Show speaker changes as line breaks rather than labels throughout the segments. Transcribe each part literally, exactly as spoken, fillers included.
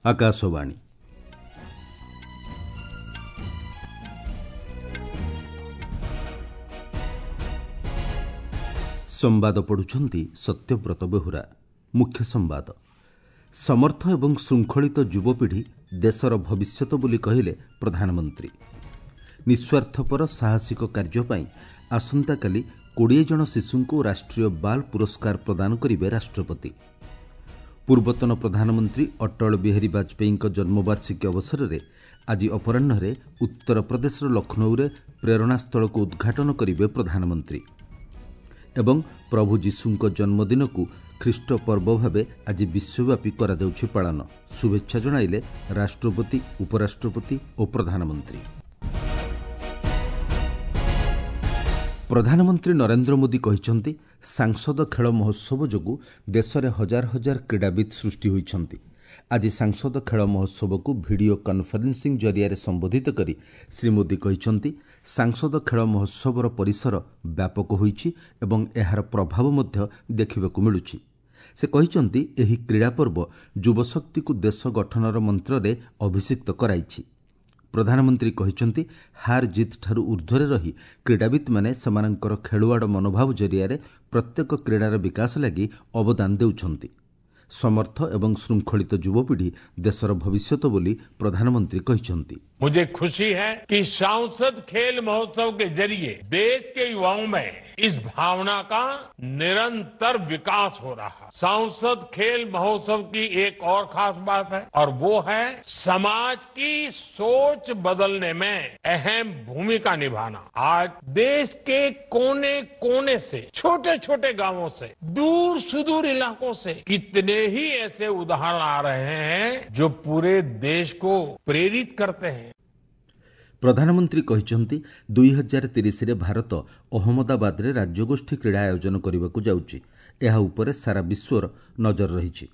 ଆକାଶବାଣୀ। ସମ୍ବାଦ ପଢ଼ୁଛନ୍ତି ସତ୍ୟବ୍ରତ ବେହୁରା। ମୁଖ୍ୟ ସମ୍ବାଦ। ସମର୍ଥ ଏବଂ ଶୃଙ୍ଖଳିତ ଯୁବପିଢ଼ି ଦେଶର ଭବିଷ୍ୟତ ବୋଲି କହିଲେ ପ୍ରଧାନମନ୍ତ୍ରୀ। ନିଃସ୍ୱାର୍ଥପର ସାହସିକ କାର୍ଯ୍ୟ ପାଇଁ ଆସନ୍ତାକାଲି କୋଡ଼ିଏ ଜଣ ଶିଶୁଙ୍କୁ ରାଷ୍ଟ୍ରୀୟ ବାଲ ପୁରସ୍କାର ପ୍ରଦାନ କରିବେ ରାଷ୍ଟ୍ରପତି। ପୂର୍ବତନ ପ୍ରଧାନମନ୍ତ୍ରୀ ଅଟଳ ବିହାରୀ ବାଜପେୟୀଙ୍କ ଜନ୍ମବାର୍ଷିକୀ ଅବସରରେ ଆଜି ଅପରାହ୍ନରେ ଉତ୍ତରପ୍ରଦେଶର ଲକ୍ଷ୍ନୌରେ ପ୍ରେରଣାସ୍ଥଳକୁ ଉଦ୍ଘାଟନ କରିବେ ପ୍ରଧାନମନ୍ତ୍ରୀ। ଏବଂ ପ୍ରଭୁ ଯୀଶୁଙ୍କ ଜନ୍ମଦିନକୁ ଖ୍ରୀଷ୍ଟ ପର୍ବ ଭାବେ ଆଜି ବିଶ୍ୱବ୍ୟାପୀ କରାଯାଉଛି ପାଳନ। ଶୁଭେଚ୍ଛା ଜଣାଇଲେ ରାଷ୍ଟ୍ରପତି, ଉପରାଷ୍ଟ୍ରପତି ଓ ପ୍ରଧାନମନ୍ତ୍ରୀ। ପ୍ରଧାନମନ୍ତ୍ରୀ ନରେନ୍ଦ୍ର ମୋଦି କହିଛନ୍ତି, ସାଂସଦ ଖେଳ ମହୋତ୍ସବ ଯୋଗୁଁ ଦେଶରେ ହଜାର ହଜାର କ୍ରୀଡ଼ାବିତ୍ ସୃଷ୍ଟି ହୋଇଛନ୍ତି। ଆଜି ସାଂସଦ ଖେଳ ମହୋତ୍ସବକୁ ଭିଡ଼ିଓ କନ୍ଫରେନ୍ସିଂ ଜରିଆରେ ସମ୍ବୋଧିତ କରି ଶ୍ରୀ ମୋଦି କହିଛନ୍ତି, ସାଂସଦ ଖେଳ ମହୋତ୍ସବର ପରିସର ବ୍ୟାପକ ହୋଇଛି ଏବଂ ଏହାର ପ୍ରଭାବ ମଧ୍ୟ ଦେଖିବାକୁ ମିଳୁଛି। ସେ କହିଛନ୍ତି, ଏହି କ୍ରୀଡ଼ା ପର୍ବ ଯୁବଶକ୍ତିକୁ ଦେଶ ଗଠନର ମନ୍ତ୍ରରେ ଅଭିଷିକ୍ତ କରାଇଛି। ପ୍ରଧାନମନ୍ତ୍ରୀ କହିଛନ୍ତି, ହାର ଜିତ୍ଠାରୁ ଊର୍ଦ୍ଧ୍ୱରେ ରହି କ୍ରୀଡ଼ାବିତ୍ମାନେ ସେମାନଙ୍କର ଖେଳୁଆଡ଼ ମନୋଭାବ ଜରିଆରେ ପ୍ରତ୍ୟେକ କ୍ରୀଡ଼ାର ବିକାଶ ଲାଗି ଅବଦାନ ଦେଉଛନ୍ତି। ସମର୍ଥ ଏବଂ ଶୃଙ୍ଖଳିତ ଯୁବପିଢ଼ି ଦେଶର ଭବିଷ୍ୟତ ବୋଲି ପ୍ରଧାନମନ୍ତ୍ରୀ କହିଛନ୍ତି।
मुझे खुशी है कि सांसद खेल महोत्सव के जरिए देश के युवाओं में इस भावना का निरंतर विकास हो रहा है। सांसद खेल महोत्सव की एक और खास बात है और वो है समाज की सोच बदलने में अहम भूमिका निभाना। आज देश के कोने कोने से, छोटे छोटे गांवों से, दूर सुदूर इलाकों से कितने ही ऐसे उदाहरण आ रहे हैं जो पूरे देश को प्रेरित करते हैं।
ପ୍ରଧାନମନ୍ତ୍ରୀ କହିଛନ୍ତି, ଦୁଇ ହଜାର ତିରିଶରେ ଭାରତ ଅହମ୍ମଦାବାଦରେ ରାଜ୍ୟଗୋଷ୍ଠୀ କ୍ରୀଡ଼ା ଆୟୋଜନ କରିବାକୁ ଯାଉଛି। ଏହା ଉପରେ ସାରା ବିଶ୍ୱର ନଜର ରହିଛି।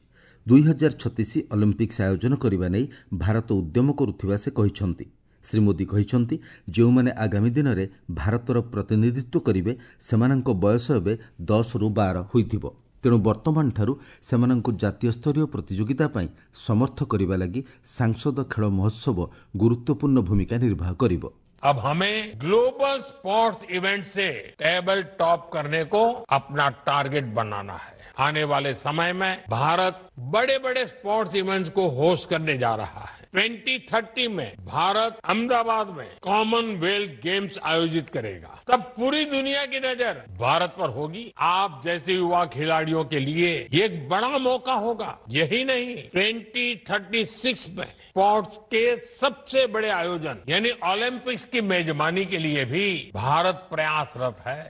ଦୁଇ ହଜାର ଛତିଶ ଅଲିମ୍ପିକ୍ସ ଆୟୋଜନ କରିବା ନେଇ ଭାରତ ଉଦ୍ୟମ କରୁଥିବା ସେ କହିଛନ୍ତି। ଶ୍ରୀ ମୋଦି କହିଛନ୍ତି, ଯେଉଁମାନେ ଆଗାମୀ ଦିନରେ ଭାରତର ପ୍ରତିନିଧିତ୍ୱ କରିବେ ସେମାନଙ୍କ ବୟସ ଏବେ ଦଶରୁ ବାର ହୋଇଥିବ। ତେଣୁ ବର୍ତ୍ତମାନଠାରୁ ସେମାନଙ୍କୁ ଜାତୀୟ ସ୍ତରୀୟ ପ୍ରତିଯୋଗିତା ପାଇଁ ସମର୍ଥ କରିବା ଲାଗି ସାଂସଦ ଖେଳ ମହୋତ୍ସବ ଗୁରୁତ୍ୱପୂର୍ଣ୍ଣ ଭୂମିକା ନିର୍ବାହ କରିବ।
अब हमें ग्लोबल स्पोर्ट्स इवेंट से टेबल टॉप करने को अपना टारगेट बनाना है। आने वाले समय में भारत बड़े बड़े स्पोर्ट्स इवेंट्स को होस्ट करने जा रहा है। ट्वेंटी थर्टी में भारत अहमदाबाद में कॉमनवेल्थ गेम्स आयोजित करेगा। तब पूरी दुनिया की नजर भारत पर होगी। आप जैसे युवा खिलाड़ियों के लिए ये एक बड़ा मौका होगा। यही नहीं, ट्वेंटी थर्टी सिक्स में स्पोर्ट्स के सबसे बड़े आयोजन यानी ओलंपिक्स की मेजबानी के लिए भी भारत प्रयासरत है।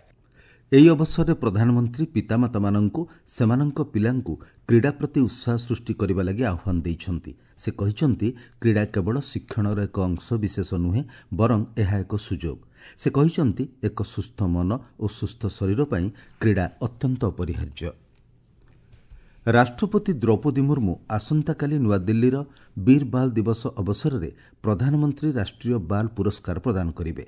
ଏହି ଅବସରରେ ପ୍ରଧାନମନ୍ତ୍ରୀ ପିତାମାତାମାନଙ୍କୁ ସେମାନଙ୍କ ପିଲାଙ୍କୁ କ୍ରୀଡ଼ା ପ୍ରତି ଉତ୍ସାହ ସୃଷ୍ଟି କରିବା ଲାଗି ଆହ୍ୱାନ ଦେଇଛନ୍ତି। ସେ କହିଛନ୍ତି, କ୍ରୀଡ଼ା କେବଳ ଶିକ୍ଷଣର ଏକ ଅଂଶ ବିଶେଷ ନୁହେଁ, ବରଂ ଏହା ଏକ ସୁଯୋଗ। ସେ କହିଛନ୍ତି, ଏକ ସୁସ୍ଥ ମନ ଓ ସୁସ୍ଥ ଶରୀର ପାଇଁ କ୍ରୀଡ଼ା ଅତ୍ୟନ୍ତ ଅପରିହାର୍ଯ୍ୟ। ରାଷ୍ଟ୍ରପତି ଦ୍ରୌପଦୀ ମୁର୍ମୁ ଆସନ୍ତାକାଲି ନୂଆଦିଲ୍ଲୀର ବୀର ବାଲ ଦିବସ ଅବସରରେ ପ୍ରଧାନମନ୍ତ୍ରୀ ରାଷ୍ଟ୍ରୀୟ ବାଲ ପୁରସ୍କାର ପ୍ରଦାନ କରିବେ।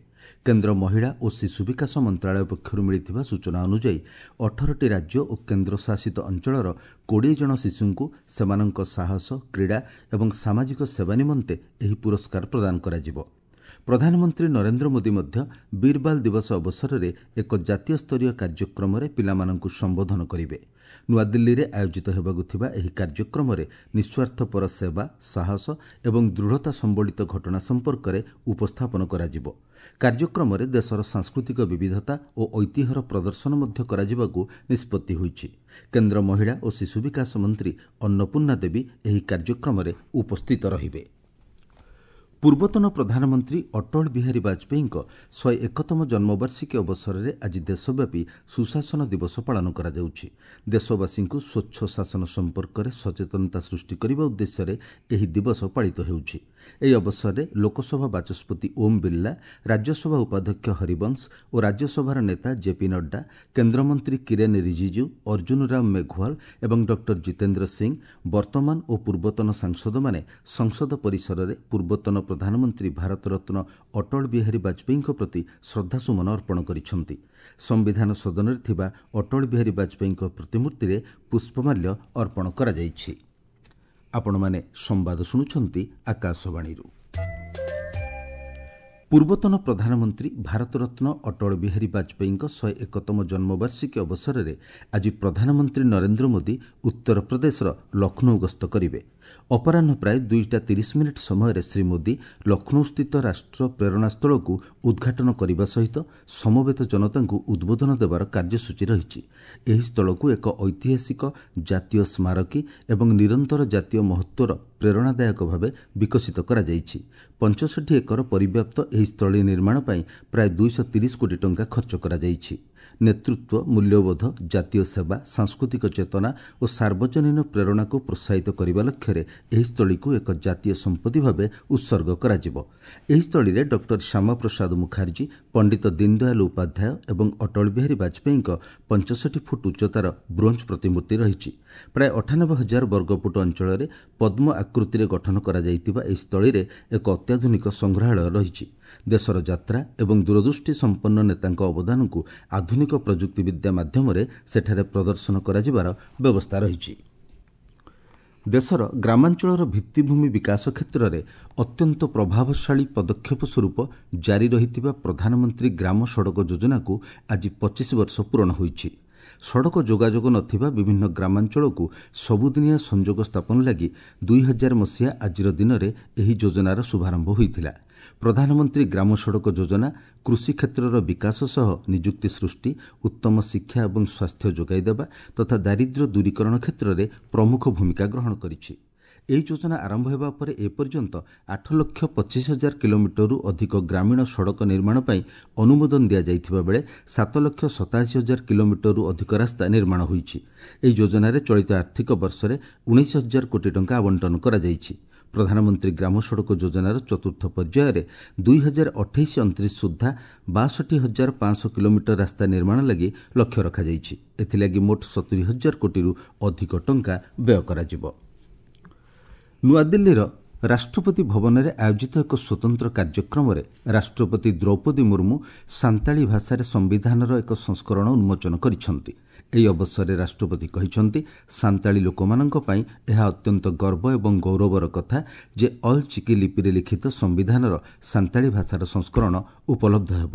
କେନ୍ଦ୍ର ମହିଳା ଓ ଶିଶୁ ବିକାଶ ମନ୍ତ୍ରଣାଳୟ ପକ୍ଷରୁ ମିଳିଥିବା ସୂଚନା ଅନୁଯାୟୀ ଅଠରଟି ରାଜ୍ୟ ଓ କେନ୍ଦ୍ରଶାସିତ ଅଞ୍ଚଳର କୋଡ଼ିଏ ଜଣ ଶିଶୁଙ୍କୁ ସେମାନଙ୍କ ସାହସ, କ୍ରୀଡ଼ା ଏବଂ ସାମାଜିକ ସେବା ନିମନ୍ତେ ଏହି ପୁରସ୍କାର ପ୍ରଦାନ କରାଯିବ। ପ୍ରଧାନମନ୍ତ୍ରୀ ନରେନ୍ଦ୍ର ମୋଦି ମଧ୍ୟ ବୀରବାଲ ଦିବସ ଅବସରରେ ଏକ ଜାତୀୟ ସ୍ତରୀୟ କାର୍ଯ୍ୟକ୍ରମରେ ପିଲାମାନଙ୍କୁ ସମ୍ବୋଧନ କରିବେ। ନୂଆଦିଲ୍ଲୀରେ ଆୟୋଜିତ ହେବାକୁ ଥିବା ଏହି କାର୍ଯ୍ୟକ୍ରମରେ ନିଃସ୍ୱାର୍ଥପର ସେବା, ସାହସ ଏବଂ ଦୃଢ଼ତା ସମ୍ବଳିତ ଘଟଣା ସମ୍ପର୍କରେ ଉପସ୍ଥାପନ କରାଯିବ। କାର୍ଯ୍ୟକ୍ରମରେ ଦେଶର ସାଂସ୍କୃତିକ ବିବିଧତା ଓ ଐତିହ୍ୟର ପ୍ରଦର୍ଶନ ମଧ୍ୟ କରାଯିବାକୁ ନିଷ୍ପତ୍ତି ହୋଇଛି। କେନ୍ଦ୍ର ମହିଳା ଓ ଶିଶୁ ବିକାଶ ମନ୍ତ୍ରୀ ଅନ୍ନପୂର୍ଣ୍ଣା ଦେବୀ ଏହି କାର୍ଯ୍ୟକ୍ରମରେ ଉପସ୍ଥିତ ରହିବେ। ପୂର୍ବତନ ପ୍ରଧାନମନ୍ତ୍ରୀ ଅଟଳ ବିହାରୀ ବାଜପେୟୀଙ୍କ ଶହେ ଏକତମ ଜନ୍ମବାର୍ଷିକୀ ଅବସରରେ ଆଜି ଦେଶବ୍ୟାପୀ ସୁଶାସନ ଦିବସ ପାଳନ କରାଯାଉଛି। ଦେଶବାସୀଙ୍କୁ ସ୍ୱଚ୍ଛ ଶାସନ ସମ୍ପର୍କରେ ସଚେତନତା ସୃଷ୍ଟି କରିବା ଉଦ୍ଦେଶ୍ୟରେ ଏହି ଦିବସ ପାଳିତ ହେଉଛି। ଏହି ଅବସରରେ ଲୋକସଭା ବାଚସ୍ପତି ଓମ୍ ବିର୍ଲା, ରାଜ୍ୟସଭା ଉପାଧ୍ୟକ୍ଷ ହରିବଂଶ ଓ ରାଜ୍ୟସଭାର ନେତା ଜେପି ନଡ୍ଡା, କେନ୍ଦ୍ରମନ୍ତ୍ରୀ କିରେନ୍ ରିଜିଜୁ, ଅର୍ଜୁନ ରାମ ମେଘୱାଲ ଏବଂ ଡକ୍ଟର ଜିତେନ୍ଦ୍ର ସିଂ, ବର୍ତ୍ତମାନ ଓ ପୂର୍ବତନ ସାଂସଦମାନେ ସଂସଦ ପରିସରରେ ପୂର୍ବତନ ପ୍ରଧାନମନ୍ତ୍ରୀ ଭାରତରତ୍ନ ଅଟଳ ବିହାରୀ ବାଜପେୟୀଙ୍କ ପ୍ରତି ଶ୍ରଦ୍ଧାସୁମନ ଅର୍ପଣ କରିଛନ୍ତି। ସମ୍ବିଧାନ ସଦନରେ ଥିବା ଅଟଳ ବିହାରୀ ବାଜପେୟୀଙ୍କ ପ୍ରତିମୂର୍ତ୍ତିରେ ପୁଷ୍ପମାଲ୍ୟ ଅର୍ପଣ କରାଯାଇଛି। ଆପଣମାନେ ସମ୍ବାଦ ଶୁଣୁଛନ୍ତି ଆକାଶବାଣୀରୁ। ପୂର୍ବତନ ପ୍ରଧାନମନ୍ତ୍ରୀ ଭାରତରତ୍ନ ଅଟଳ ବିହାରୀ ବାଜପେୟୀଙ୍କ ଶହେ ଏକତମ ଜନ୍ମବାର୍ଷିକୀ ଅବସରରେ ଆଜି ପ୍ରଧାନମନ୍ତ୍ରୀ ନରେନ୍ଦ୍ର ମୋଦି ଉତ୍ତରପ୍ରଦେଶର ଲକ୍ଷ୍ନୌ ଗସ୍ତ କରିବେ। ଅପରାହ୍ନ ପ୍ରାୟ ଦୁଇଟା ତିରିଶ ମିନିଟ୍ ସମୟରେ ଶ୍ରୀ ମୋଦି ଲକ୍ଷ୍ନୌସ୍ଥିତ ରାଷ୍ଟ୍ର ପ୍ରେରଣାସ୍ଥଳକୁ ଉଦ୍ଘାଟନ କରିବା ସହିତ ସମବେତ ଜନତାଙ୍କୁ ଉଦ୍ବୋଧନ ଦେବାର କାର୍ଯ୍ୟସୂଚୀ ରହିଛି। ଏହି ସ୍ଥଳକୁ ଏକ ଐତିହାସିକ ଜାତୀୟ ସ୍ମାରକୀ ଏବଂ ନିରନ୍ତର ଜାତୀୟ ମହତ୍ତ୍ୱର ପ୍ରେରଣାଦାୟକ ଭାବେ ବିକଶିତ କରାଯାଇଛି। ପଞ୍ଚଷଠି ଏକର ପରିବ୍ୟାପ୍ତ ଏହି ସ୍ଥଳୀ ନିର୍ମାଣ ପାଇଁ ପ୍ରାୟ ଦୁଇଶହ ତିରିଶ କୋଟି ଟଙ୍କା ଖର୍ଚ୍ଚ କରାଯାଇଛି। ନେତୃତ୍ୱ, ମୂଲ୍ୟବୋଧ, ଜାତୀୟ ସେବା, ସାଂସ୍କୃତିକ ଚେତନା ଓ ସାର୍ବଜନୀନ ପ୍ରେରଣାକୁ ପ୍ରୋତ୍ସାହିତ କରିବା ଲକ୍ଷ୍ୟରେ ଏହି ସ୍ଥଳୀକୁ ଏକ ଜାତୀୟ ସମ୍ପତ୍ତି ଭାବେ ଉତ୍ସର୍ଗ କରାଯିବ। ଏହି ସ୍ଥଳୀରେ ଡକ୍ଟର ଶ୍ୟାମାପ୍ରସାଦ ମୁଖାର୍ଜୀ, ପଣ୍ଡିତ ଦୀନଦୟାଲ ଉପାଧ୍ୟାୟ ଏବଂ ଅଟଳ ବିହାରୀ ବାଜପେୟୀଙ୍କ ପଞ୍ଚଷଠି ଫୁଟ ଉଚ୍ଚତାର ବ୍ରୋଞ୍ଜ ପ୍ରତିମୂର୍ତ୍ତି ରହିଛି। ପ୍ରାୟ ଅଠାନବେ ହଜାର ବର୍ଗଫୁଟ ଅଞ୍ଚଳରେ ପଦ୍ମ ଆକୃତିରେ ଗଠନ କରାଯାଇଥିବା ଏହି ସ୍ଥଳୀରେ ଏକ ଅତ୍ୟାଧୁନିକ ସଂଗ୍ରହାଳୟ ରହିଛି। ଦେଶର ଯାତ୍ରା ଏବଂ ଦୂରଦୃଷ୍ଟି ସମ୍ପନ୍ନ ନେତାଙ୍କ ଅବଦାନକୁ ଆଧୁନିକ ପ୍ରଯୁକ୍ତିବିଦ୍ୟା ମାଧ୍ୟମରେ ସେଠାରେ ପ୍ରଦର୍ଶନ କରାଯିବାର ବ୍ୟବସ୍ଥା ରହିଛି। ଦେଶର ଗ୍ରାମାଞ୍ଚଳର ଭିତ୍ତିଭୂମି ବିକାଶ କ୍ଷେତ୍ରରେ ଅତ୍ୟନ୍ତ ପ୍ରଭାବଶାଳୀ ପଦକ୍ଷେପ ସ୍ୱରୂପ ଜାରି ରହିଥିବା ପ୍ରଧାନମନ୍ତ୍ରୀ ଗ୍ରାମ ସଡ଼କ ଯୋଜନାକୁ ଆଜି ପଚିଶ ବର୍ଷ ପୂରଣ ହୋଇଛି। ସଡ଼କ ଯୋଗାଯୋଗ ନଥିବା ବିଭିନ୍ନ ଗ୍ରାମାଞ୍ଚଳକୁ ସବୁଦିନିଆ ସଂଯୋଗ ସ୍ଥାପନ ଲାଗି ଦୁଇ ହଜାର ମସିହା ଆଜିର ଦିନରେ ଏହି ଯୋଜନାର ଶୁଭାରମ୍ଭ ହୋଇଥିଲା। ପ୍ରଧାନମନ୍ତ୍ରୀ ଗ୍ରାମ ସଡ଼କ ଯୋଜନା କୃଷି କ୍ଷେତ୍ରର ବିକାଶ ସହ ନିଯୁକ୍ତି ସୃଷ୍ଟି, ଉତ୍ତମ ଶିକ୍ଷା ଏବଂ ସ୍ୱାସ୍ଥ୍ୟ ଯୋଗାଇଦେବା ତଥା ଦାରିଦ୍ର୍ୟ ଦୂରୀକରଣ କ୍ଷେତ୍ରରେ ପ୍ରମୁଖ ଭୂମିକା ଗ୍ରହଣ କରିଛି। ଏହି ଯୋଜନା ଆରମ୍ଭ ହେବା ପରେ ଏପର୍ଯ୍ୟନ୍ତ ଆଠ ଲକ୍ଷ ପଚିଶ ହଜାର କିଲୋମିଟରରୁ ଅଧିକ ଗ୍ରାମୀଣ ସଡ଼କ ନିର୍ମାଣ ପାଇଁ ଅନୁମୋଦନ ଦିଆଯାଇଥିବା ବେଳେ ସାତ ଲକ୍ଷ ସତାଅଶୀ ହଜାର କିଲୋମିଟରରୁ ଅଧିକ ରାସ୍ତା ନିର୍ମାଣ ହୋଇଛି। ଏହି ଯୋଜନାରେ ଚଳିତ ଆର୍ଥିକ ବର୍ଷରେ ଉଣେଇଶ ହଜାର କୋଟି ଟଙ୍କା ଆବଣ୍ଟନ କରାଯାଇଛି। ପ୍ରଧାନମନ୍ତ୍ରୀ ଗ୍ରାମ ସଡ଼କ ଯୋଜନାର ଚତୁର୍ଥ ପର୍ଯ୍ୟାୟରେ ଦୁଇ ହଜାର ଅଠେଇଶ ଅଣତିରିଶ ସୁଦ୍ଧା ବାଷଠି ହଜାର ପାଞ୍ଚଶହ କିଲୋମିଟର ରାସ୍ତା ନିର୍ମାଣ ଲାଗି ଲକ୍ଷ୍ୟ ରଖାଯାଇଛି। ଏଥିଲାଗି ମୋଟ ସତୁରି ହଜାର କୋଟିରୁ ଅଧିକ ଟଙ୍କା ବ୍ୟୟ କରାଯିବ। ନୂଆଦିଲ୍ଲୀର ରାଷ୍ଟ୍ରପତି ଭବନରେ ଆୟୋଜିତ ଏକ ସ୍ୱତନ୍ତ୍ର କାର୍ଯ୍ୟକ୍ରମରେ ରାଷ୍ଟ୍ରପତି ଦ୍ରୌପଦୀ ମୁର୍ମୁ ସାନ୍ତାଳୀ ଭାଷାରେ ସମ୍ବିଧାନର ଏକ ସଂସ୍କରଣ ଉନ୍ମୋଚନ କରିଛନ୍ତି। ଏହି ଅବସରରେ ରାଷ୍ଟ୍ରପତି କହିଛନ୍ତି, ସାନ୍ତାଳୀ ଲୋକମାନଙ୍କ ପାଇଁ ଏହା ଅତ୍ୟନ୍ତ ଗର୍ବ ଏବଂ ଗୌରବର କଥା ଯେ ଅଲ୍ ଚିକି ଲିପିରେ ଲିଖିତ ସମ୍ବିଧାନର ସାନ୍ତାଳୀ ଭାଷାର ସଂସ୍କରଣ ଉପଲବ୍ଧ ହେବ।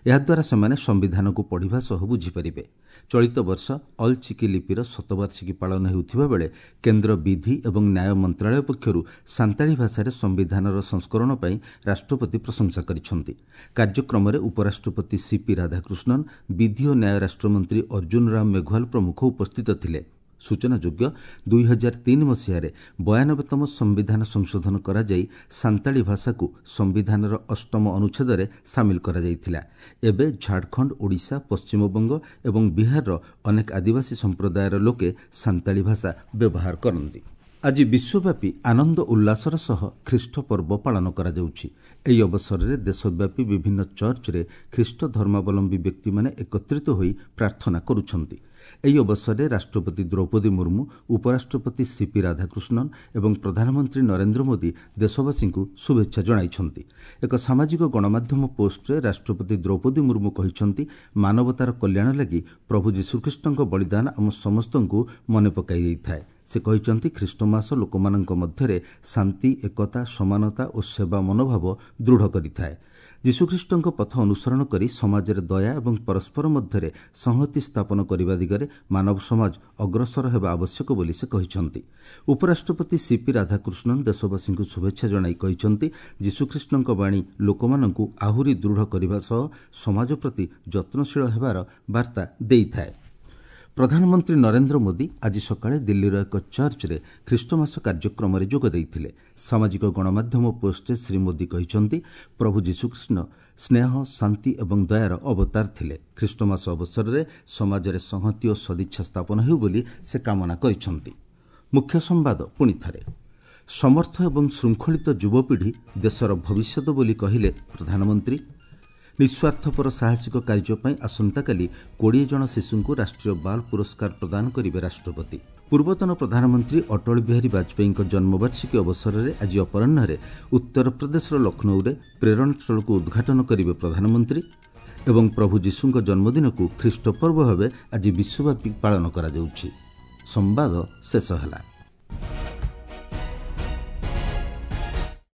ଏହାଦ୍ୱାରା ସେମାନେ ସମ୍ବିଧାନକୁ ପଢ଼ିବା ସହ ବୁଝିପାରିବେ। ଚଳିତ ବର୍ଷ ଅଲ୍ ଚିକି ଲିପିର ଶତବାର୍ଷିକୀ ପାଳନ ହେଉଥିବା ବେଳେ କେନ୍ଦ୍ର ବିଧି ଏବଂ ନ୍ୟାୟ ମନ୍ତ୍ରାଳୟ ପକ୍ଷରୁ ସାନ୍ତାଳୀ ଭାଷାରେ ସମ୍ବିଧାନର ସଂସ୍କରଣ ପାଇଁ ରାଷ୍ଟ୍ରପତି ପ୍ରଶଂସା କରିଛନ୍ତି। କାର୍ଯ୍ୟକ୍ରମରେ ଉପରାଷ୍ଟ୍ରପତି ସିପି ରାଧାକୃଷ୍ଣନ୍, ବିଧି ଓ ନ୍ୟାୟ ରାଷ୍ଟ୍ରମନ୍ତ୍ରୀ ଅର୍ଜୁନ ରାମ ମେଘୱାଲ ପ୍ରମୁଖ ଉପସ୍ଥିତ ଥିଲେ। ସୂଚନାଯୋଗ୍ୟ, ଦୁଇ ହଜାର ତିନି ମସିହାରେ ବୟାନବେତମ ସମ୍ବିଧାନ ସଂଶୋଧନ କରାଯାଇ ସାନ୍ତାଳୀ ଭାଷାକୁ ସମ୍ବିଧାନର ଅଷ୍ଟମ ଅନୁଚ୍ଛେଦରେ ସାମିଲ କରାଯାଇଥିଲା। ଏବେ ଝାଡ଼ଖଣ୍ଡ, ଓଡ଼ିଶା, ପଶ୍ଚିମବଙ୍ଗ ଏବଂ ବିହାରର ଅନେକ ଆଦିବାସୀ ସମ୍ପ୍ରଦାୟର ଲୋକେ ସାନ୍ତାଳୀ ଭାଷା ବ୍ୟବହାର କରନ୍ତି। ଆଜି ବିଶ୍ୱବ୍ୟାପୀ ଆନନ୍ଦ ଉଲ୍ଲାସର ସହ ଖ୍ରୀଷ୍ଟ ପର୍ବ ପାଳନ କରାଯାଉଛି। ଏହି ଅବସରରେ ଦେଶବ୍ୟାପୀ ବିଭିନ୍ନ ଚର୍ଚ୍ଚରେ ଖ୍ରୀଷ୍ଟ ଧର୍ମାବଲମ୍ବୀ ବ୍ୟକ୍ତିମାନେ ଏକତ୍ରିତ ହୋଇ ପ୍ରାର୍ଥନା କରୁଛନ୍ତି। ଏହି ଅବସରରେ ରାଷ୍ଟ୍ରପତି ଦ୍ରୌପଦୀ ମୁର୍ମୁ, ଉପରାଷ୍ଟ୍ରପତି ସିପି ରାଧାକୃଷ୍ଣନ୍ ଏବଂ ପ୍ରଧାନମନ୍ତ୍ରୀ ନରେନ୍ଦ୍ର ମୋଦି ଦେଶବାସୀଙ୍କୁ ଶୁଭେଚ୍ଛା ଜଣାଇଛନ୍ତି। ଏକ ସାମାଜିକ ଗଣମାଧ୍ୟମ ପୋଷ୍ଟରେ ରାଷ୍ଟ୍ରପତି ଦ୍ରୌପଦୀ ମୁର୍ମୁ କହିଛନ୍ତି, ମାନବତାର କଲ୍ୟାଣ ଲାଗି ପ୍ରଭୁ ଯୀଶୁଖ୍ରୀଷ୍ଟଙ୍କ ବଳିଦାନ ଆମ ସମସ୍ତଙ୍କୁ ମନେ ପକାଇ ଦେଇଥାଏ। ସେ କହିଛନ୍ତି, ଖ୍ରୀଷ୍ଟମାସ ଲୋକମାନଙ୍କ ମଧ୍ୟରେ ଶାନ୍ତି, ଏକତା, ସମାନତା ଓ ସେବା ମନୋଭାବ ଦୃଢ଼ କରିଥାଏ। ଯୀଶୁଖ୍ରୀଷ୍ଟଙ୍କ ପଥ ଅନୁସରଣ କରି ସମାଜରେ ଦୟା ଏବଂ ପରସ୍ପର ମଧ୍ୟରେ ସଂହତି ସ୍ଥାପନ କରିବା ଦିଗରେ ମାନବ ସମାଜ ଅଗ୍ରସର ହେବା ଆବଶ୍ୟକ ବୋଲି ସେ କହିଛନ୍ତି। ଉପରାଷ୍ଟ୍ରପତି ସିପି ରାଧାକୃଷ୍ଣନ୍ ଦେଶବାସୀଙ୍କୁ ଶୁଭେଚ୍ଛା ଜଣାଇ କହିଛନ୍ତି, ଯୀଶୁଖ୍ରୀଷ୍ଟଙ୍କ ବାଣୀ ଲୋକମାନଙ୍କୁ ଆହୁରି ଦୃଢ଼ କରିବା ସହ ସମାଜ ପ୍ରତି ଯତ୍ନଶୀଳ ହେବାର ବାର୍ତ୍ତା ଦେଇଥାଏ। ପ୍ରଧାନମନ୍ତ୍ରୀ ନରେନ୍ଦ୍ର ମୋଦି ଆଜି ସକାଳେ ଦିଲ୍ଲୀର ଏକ ଚର୍ଚ୍ଚରେ ଖ୍ରୀଷ୍ଟମାସ କାର୍ଯ୍ୟକ୍ରମରେ ଯୋଗ ଦେଇଥିଲେ। ସାମାଜିକ ଗଣମାଧ୍ୟମ ପୋଷ୍ଟରେ ଶ୍ରୀ ମୋଦି କହିଛନ୍ତି, ପ୍ରଭୁ ଯୀଶୁଖ୍ରୀଷ୍ଟ ସ୍ନେହ, ଶାନ୍ତି ଏବଂ ଦୟାର ଅବତାର ଥିଲେ। ଖ୍ରୀଷ୍ଟମାସ ଅବସରରେ ସମାଜରେ ସଂହତି ଓ ସଦିଚ୍ଛା ସ୍ଥାପନ ହେଉ ବୋଲି ସେ କାମନା କରିଛନ୍ତି। ମୁଖ୍ୟ ସମ୍ବାଦ ପୁଣି ଥରେ। ସମର୍ଥ ଏବଂ ଶୃଙ୍ଖଳିତ ଯୁବପିଢ଼ି ଦେଶର ଭବିଷ୍ୟତ ବୋଲି କହିଲେ ପ୍ରଧାନମନ୍ତ୍ରୀ। ନିଃସ୍ୱାର୍ଥପର ସାହସିକ କାର୍ଯ୍ୟ ପାଇଁ ଆସନ୍ତାକାଲି କୋଡ଼ିଏ ଜଣ ଶିଶୁଙ୍କୁ ରାଷ୍ଟ୍ରୀୟ ବାଲ ପୁରସ୍କାର ପ୍ରଦାନ କରିବେ ରାଷ୍ଟ୍ରପତି। ପୂର୍ବତନ ପ୍ରଧାନମନ୍ତ୍ରୀ ଅଟଳ ବିହାରୀ ବାଜପେୟୀଙ୍କ ଜନ୍ମବାର୍ଷିକୀ ଅବସରରେ ଆଜି ଅପରାହ୍ନରେ ଉତ୍ତରପ୍ରଦେଶର ଲକ୍ଷ୍ନୌରେ ପ୍ରେରଣାସ୍ଥଳକୁ ଉଦ୍ଘାଟନ କରିବେ ପ୍ରଧାନମନ୍ତ୍ରୀ। ଏବଂ ପ୍ରଭୁ ଯୀଶୁଙ୍କ ଜନ୍ମଦିନକୁ ଖ୍ରୀଷ୍ଟପର୍ବ ଭାବେ ଆଜି ବିଶ୍ୱବ୍ୟାପୀ ପାଳନ କରାଯାଉଛି। ସମ୍ବାଦ ଶେଷ ହେଲା।